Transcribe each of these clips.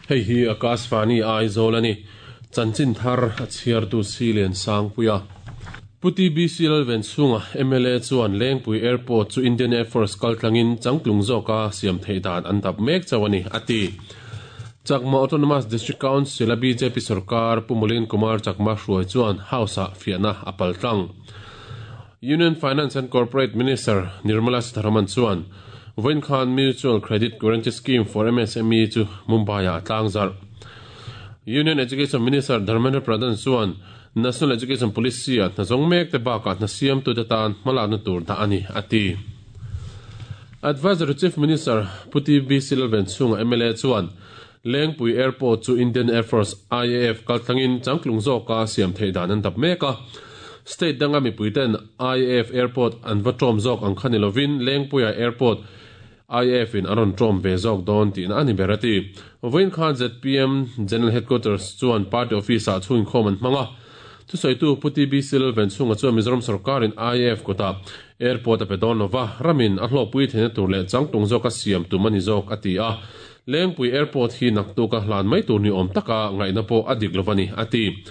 Hei hi Akashvani Aizawl a ni. Chanchin thar a chhiartu Silian Sangpuia. Pu TBC Lalvenchhunga mla chuan Lengpui Airport chu Indian Air Force kaltlangin changtlung zawka siam theih dan an dap mek chauh a ni, a ti. Chakma Autonomous District Council-a bjp sorkar Pu Mulin Kumar Chakma hruai chuan House-ah fiahna a paltlang. Union Finance and Corporate Minister Nirmala Sitharaman chuan vawiin khan Mutual Credit Guarantee Scheme for MSME chu Mumbai-ah a tlangzarh. Union Education Minister Dharmendra Pradhan chuan National Education Policy-ah hna zawng mek te bakah hna siamtute tan hmalakna tur dah a ni, a ti. Advisory Chief Minister Pu TB Silvan chhunga mla chuan Lengpui Airport chu Indian Air Force, IAF, kaltlangin changtlung zawka siam theih dan an dap mek a. State danga mipuiten IAF Airport an va ṭawm zawk ang kha ni lovin Lengpuia Airport IAF in a rawn ṭawm ve zawk dawn tihna a ni ber a ti. Vawiin khan zpm General Headquarters chuan party office-ah chhunginkhawm an hmang a. Thusawitu Pu TB Silvan chhunga chuan Mizoram sorkarin IAF kutah Airport a pe dawn lova, ramin a hlawhpui theihna tur leh changtlung zawka siam tum a ni zawk a ti a. Lengpui Airport hi naktuka hlan mai tur ni awm taka ngaihna pawh a dik lova ni, a ti.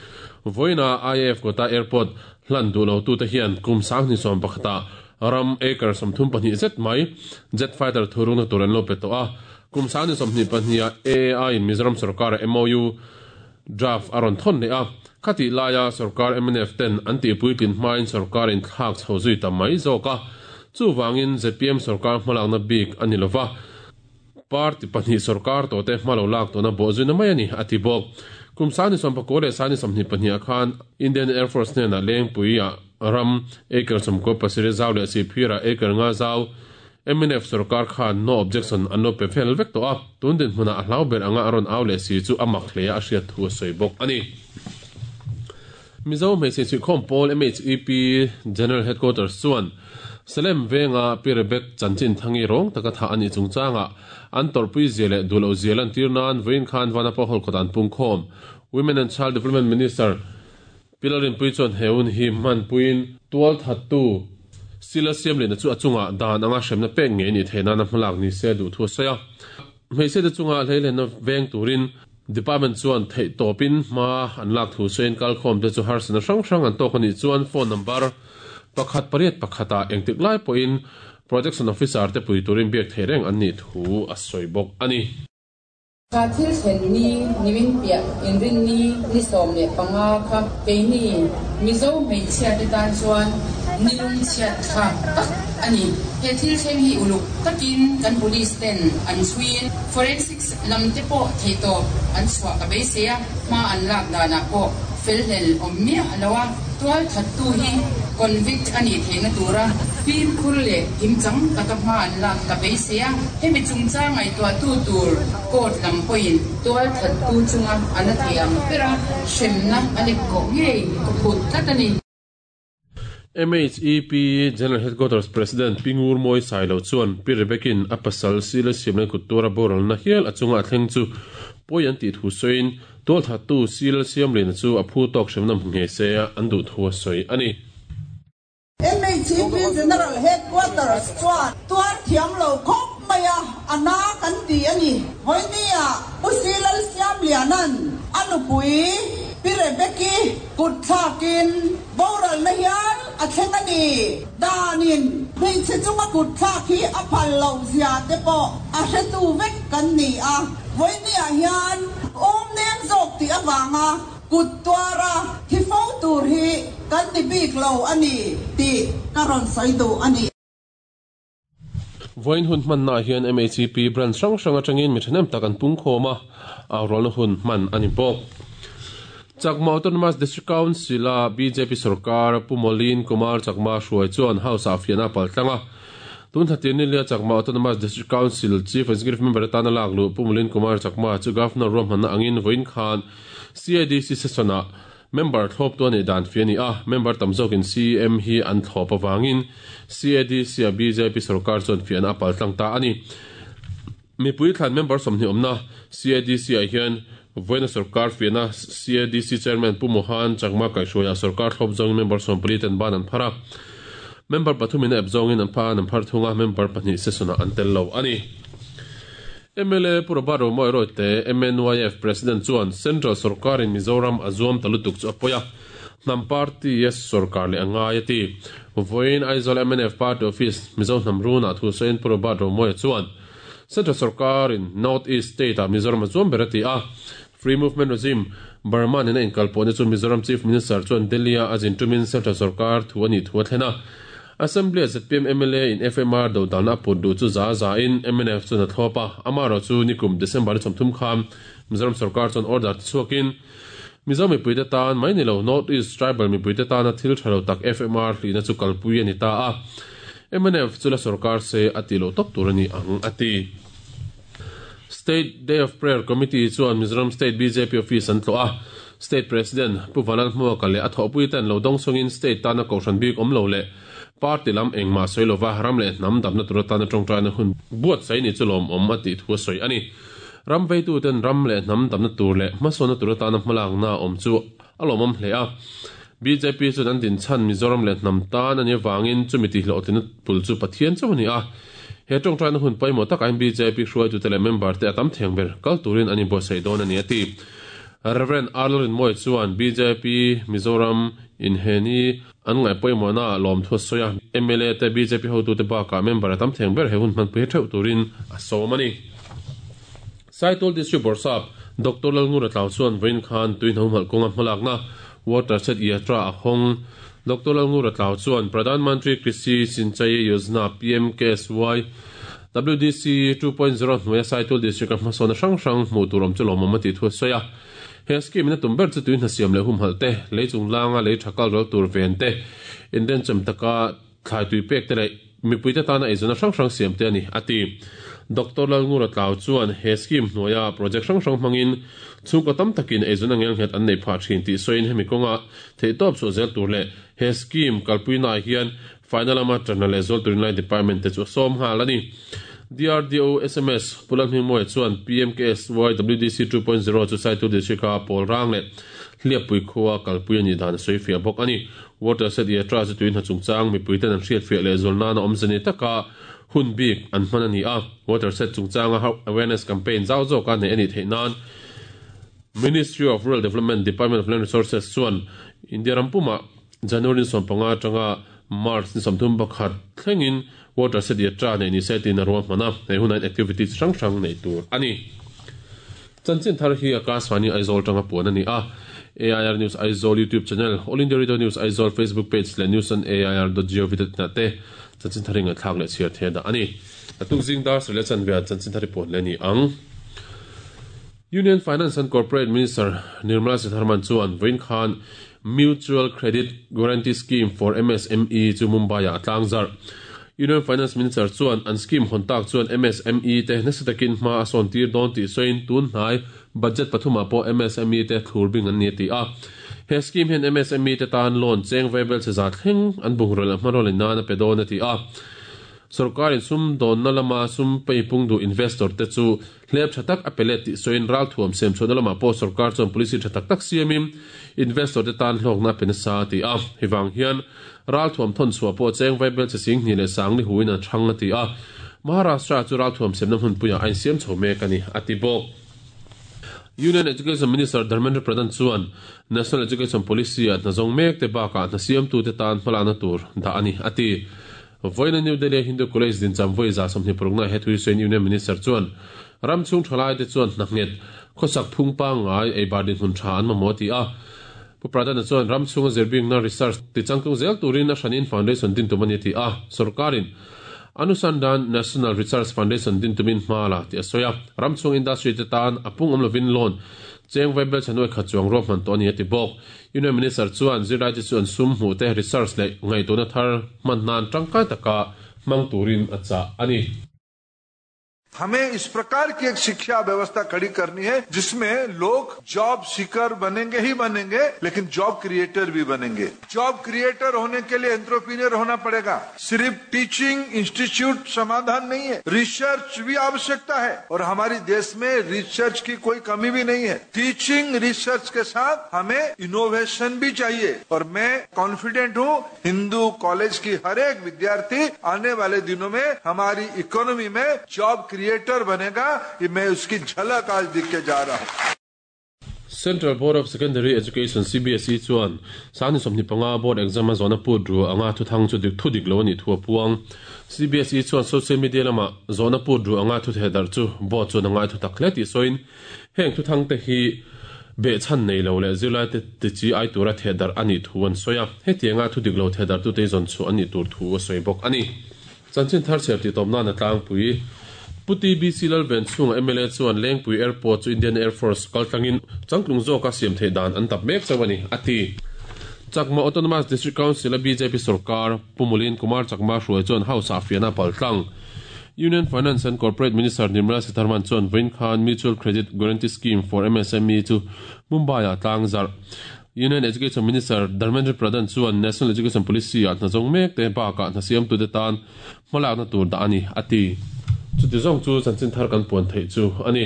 Vawiina IAF kawta airport hlan duh lotute hian kum 2011 ah ram acre 32 zet mai jet fighter thurukna tur an lo pe tawh a. Kum 2022 ah AAI in Mizoram sorkara MOU draft a rawn thawn leh a. Khatih laia sorkar mnf ten an tihpuitlin hmain sorkar in thlak chho zui ta mai zawk a. Chuvangin zpm sorkar hmalakna bik a ni lova. Party pahnih sorkar tawhte hma lo lak tawhna bawhzuina mai a ni, a ti bawk. Kum 1990 leh 1922 ah khan Indian Air Force hnenah Lengpuia ram acre 97 zau leh Sihphira acre nga zau mnf sorkar khan no objection an lo pe fel vek tawh a, tun dinhmunah a hlau ber anga a rawn au leh si chu a mak hle a hriat thu a sawi bawk a ni. Mizo hmeichhe chhuihkhawm pawl MHEP General Headquarters chuan Salem venga Pi Rebek chanchin thangi rawng taka thah a nih chungchangah an tawrhpui zia leh duh loh zia lantir nan vawiin khan Vanapa Hall kawt an pungkhawm. Women and Child Development Minister Pi Lalrinpuii chuan he hun hi hmanpuiin tualthattu Sila Siamlina chu a chungah dan anga hremna pek ngei nih theih nana hmalak ni se duh thu a sawi a. Hmeichhiate chunga hleilenna veng turin Department chuan theih tawpin hma an lak thu sawiin kalkhawmte chu harsatna hrang hrang an tawk a nih chuan phone number pakhat pariat pakhat ah engtik lai pawhin Protection Officer te pui turin biak theih reng an nih thu a sawi bawk a ni. Kha thil thlen ni nimin piah inrinni ni 15 kha keini Mizo hmeichhia te tan chuan ni lungchhiat thlak tak a ni. He thil thleng hi uluk takin kan police ten an chhuiin forensic Lam te pawh theihtawp an chhuah ka beisei a, hma an lak danah pawh felhlel awm miah lo a, tual thattu hi convict a nih theihna tura fimkhur leh kimchang taka hma an lak ka beisei a, hemi chungchang ngaihtuahtu tur court lam pawhin tual thattu chunga a na thei ang bera hremna a lek kawh ngei ka phut tlat a ni. MHEP General Headquarters President Pi Ngurmawi Sailo chuan Pi Rebekin a pasal Sila Siamlen kut tuara boralna hial a chunga a thleng chu pawi an tih thu sawiin tualthattu Sila Siamliana chu a phu tawk hremna hmu nghe se an duh thu a sawi a ni. MHEP General Headquarters chuan tuar thiam lo khawp mai a, a na kan ti a ni. Vawinia Pu Silal Siamliana'n a nupui Pi Rebeki kut thlakin boralna hial a thleng a ni. Danin hmeichhe chunga kut thlak hi a phal loh zia te pawh a hretu vek kan ni a. Vawinia hian awm nem zawk tih avanga kut tuara thi fo tur hi kan ni bik lo a ni tih ka rawn sawi duh a ni. Vawiin hun hmannaah hian MHEP branch hrang hrang atangin mi thahnem tak an pungkhawm a, aurualna hun hman a ni bawk. Chakma Autonomous District Council-a bjp sorkar Pu Molin Kumar Chakma hruai chuan House-ah fiahna a paltlang a. Tun thla tir nilia Chakma Autonomous District Council Chief Executive Member atana lak luh Pu Molin Kumar Chakma chu Governor ruahmanna angin vawiin khan CADC session-ah Member thlawptu a nih dan fi a ni a, member tam zawkin CM hi an thlawp avangin CADC-a bjp sorkar chuan fiahna a paltlang ta a ni. Mipui thlan member 20 awmna CADC-ah hian Vawiina sorkar fiahna CADC Chairman Pu Mohan Chakma kaihhruaiah sorkar thlawp zawngin member 40 ten ban an phar a. Member pathumin a ep zawngin an pha an phar thung a, member pahnih session-ah an tel lo a ni. Mla Pu Robert Romawia Royte, MNYF President chuan Central sorkarin Mizoram a zuam ta lutuk chu a pawi a, hnam party a sorkar leh a ngai a ti. Vawiin Aizawl mnf Party Office Mizo hnam runah thu sawiin Pu Robert Romawia chuan Central sorkarin North East State-ah Mizoram a zuam ber a ti a, Free Movement Regime, Burma nena inkalpawhna chu Mizoram Chief Minister chuan Delhi-a a zin tumin Central sorkar thu a nih thu a thlen a. Assembly-a zpm mla in FMR dodalna a put duh chu za za in mnf chuan a thlawp a, amaherawhchu nikum December ni 30 khan Mizoram sorkar chuan order ti chhuakin Mizo mipuite tan mai ni lo North East Tribal mipuite tana thil tha lo tak FMR hlihna chu kalpui a ni ta a, mnf chu la sorkar se a tih loh tawp tur a ni ang a ti. State Day of Prayer Committee chuan Mizoram State bjp Office an tlawh a, State President Pu Vanlalhmuaka leh a thawhpuite an lo dawng chungin State tana kohhran bik awm lo leh Party lam engmah sawi lova ram leh hnam damna tur atana tawngtaina hun buatsaih ni chu lawmawm a tih thu a sawi a ni. Ram veituten ram leh hnam damna tur leh hmasawnna tur atana hmalakna a awm chu a lawmawm hle a. Bjp chuan an din chhan Mizoram leh hnam tan a nih avangin chumi tihhlawhtlinna pul chu Pathian chauh a ni a. He tawngtaina hun pawimawh takah hian bjp hruaitute leh member te a tam theng ber kal turin an inbuatsaih dawn a ni a ti. Rev. Arnold Rinmawia chuan bjp Mizoram inheni An ngaih pawimawhna ah lawmthu a sawi a, mla te bjp hotute bakah member a tam theng ber he hun hmanpui theuh turin a sawm a ni. Saitual District Bawrhsap Doctor Lalngura Tlau chuan vawiin khan tuihna humhalh kawnga hmalakna Water Shed Yatra a hawng. Doctor Lalngura Tlau chuan Pradhan Mantri Krishi Sinchai Yojana, PMKSY, WDC 2.0 hnuaia Saitual District-a hmasawnna hrang hrang hmuh tur awm chu lawmawm a tih thu a sawi a. He scheme in a tum ber chu tui hna siam leh humhalh te, lei chunglanga lei tha kal ral tur ven te, inrenchem taka thlai tui pek te leh mipuite tana eizawnna hrang hrang siam te a ni, a ti. Doctor Lalngura Tlau chuan he scheme hnuaia project hrang hrang hmangin chhungkaw tam takin eizawnna ngelnghet an neih phah thin tih sawiin hemi kawnga theihtawp chhuah zel tur leh he scheme kalpuinaah hian Faina lama tanna leh zual turin lai department te chu a sawm nghal a ni. DRDO sms Pu Lalhmingmawia chuan PMKSY WDC 2.0 chu Saitu District-a pawl rang leh Hliappui khua kalpui a nih dan a sawi fiah bawk a ni. Water Set Yatra chu tui hna chungchang mipuiten an hriatfiah leh zual nana awmze ni taka hun bik an hman a ni a. Water Set chungchanga awareness campaign zau zawka neih a nih theih nan Ministry of Rural Development Department of Land Resources chuan India ram pumah January ni 15 atanga March ni 31 thlengin Water Set Yatra neih ni se tiin a ruahman a, hei hunah hian activity chi hrang hrang neih tur a ni. Chanchin thar hi Akashvani Aizawl atanga puan a ni a, AIR News Aizawl YouTube channel, All India Radio News Aizawl Facebook page leh news on air dot gov dot in ah te chanchin thar hi ngaihthlak leh chhiar thei a dah a ni. Naktuk zing dar sarih leh chanve ah chanchin thar hi puan leh a ni ang. Union Finance and Corporate Minister Nirmala Sitharaman chuan vawiin khan Mutual Credit Guarantee Scheme for MSME chu Mumbai-ah a tlang zarh. Union Finance Minister chuan an scheme hawn tak chuan MSME te nasa takin hma a sawn tir dawn tih sawiin tun hnai budget pathumah pawh MSME te thlur bing an ni a ti a. He scheme hian MSME te tan loan cheng vaibel che za thleng an bungraw leh hmanraw lei nan a pe dawn a ti a. Sorkarin sumdawnna lama sum peipung duh investor te chu Hlep tha tak a pe let tih sawiin ralthuam siam chhuahna lamah pawh sorkar chuan policy tha tak tak siamin investor te tan hlawkna a pe nasa a ti a. Hei vang hian ralthuam thawn chhuah pawh cheng vaibel che sing hnih leh sang ni huin an hrang a ti a. Maharashtra chu ralthuam siamna hmunpuiah a insiam chho mek a ni, a ti bawk. Union Education Minister Dharmendra Pradhan chuan National Education Policy-ah hna zawng mek te bakah hna siamtute tan hmalakna tur dah a ni, a ti. Vawiina New Delhi-a Hindu College dincham vawi 26 na he thu hi sawiin Union Minister chuan ram chhung thalaite chuan hna nghet, khawsak phung pangngai, eibar dinhmun tha an mamawh a ti a. Pu Pradhan-a chuan ram chhunga zirbingna, research, ti changtlung zel turin a hranin foundation din tum a ni a ti a. Sorkarin Anusandhan National Research Foundation din tumin hma la tih a sawi a. Ram chhung industry te tan a pung awm lovin loan cheng vaibel chhanuai khat chuang ruahman tawh a ni a ti bawk. Union Minister chuan zirlaite chu an sum hmuh te research leh ngaihtuahna thar hman nan tangkai taka hmang turin a chah a ni. हमें इस प्रकार की एक शिक्षा व्यवस्था खड़ी करनी है जिसमें लोग जॉब सीकर बनेंगे ही बनेंगे, लेकिन जॉब क्रिएटर भी बनेंगे। जॉब क्रिएटर होने के लिए एंटरप्रेन्योर होना पड़ेगा। सिर्फ टीचिंग इंस्टीट्यूट समाधान नहीं है, रिसर्च भी आवश्यकता है और हमारे देश में रिसर्च की कोई कमी भी नहीं है। टीचिंग रिसर्च के साथ हमें इनोवेशन भी चाहिए और मैं कॉन्फिडेंट हूँ हिंदू कॉलेज की हर एक विद्यार्थी आने वाले दिनों में हमारी इकोनॉमी में जॉब क्रिएटर बनेगा, ये मैं उसकी झलक आज दिख के जा रहा हूँ। Central Board of Secondary Education CBSE chuan sani 25 board exam a zawhna put ru anga thu thang chu dik thu dik lo a nih thu a puang. CBSE chuan social media lama zawhna put ru anga thu theh darh chu board chuan a ngai thu tak hle tih sawiin heng thu thang te hi behchhan nei lo leh zirlai te ti chi ai tura theh darh a nih thu an sawi a. Hetianga thu dik lo theh darh tute hi zawn chhuah a nih tur thu a sawi bawk a ni. Chanchin thar chhiar tih tawp nan a tlangpui. Pu TBC Lalvenchhunga mla chuan Lengpui Airport chu Indian Air Force kaltlangin changtlung zawka siam theih dan an dap mek chauh a ni, a ti. Chakma Autonomous District Council-a bjp sorkar Pu Mulin Kumar Chakma hruai chuan House-ah fiahna pal tlang. Union Finance and Corporate Minister Nirmala Sitharaman chuan vawiin khan Mutual Credit Guarantee Scheme for MSME chu Mumbai-ah tlang zarh. Union Education Minister Dharmendra Pradhan chuan National Education Policy-ah hna zawng mek te bakah hna siamtute tan hmalakna tur dah a ni, a ti. Chuti zawng chu chanchin thar kan puan theih chu a ni.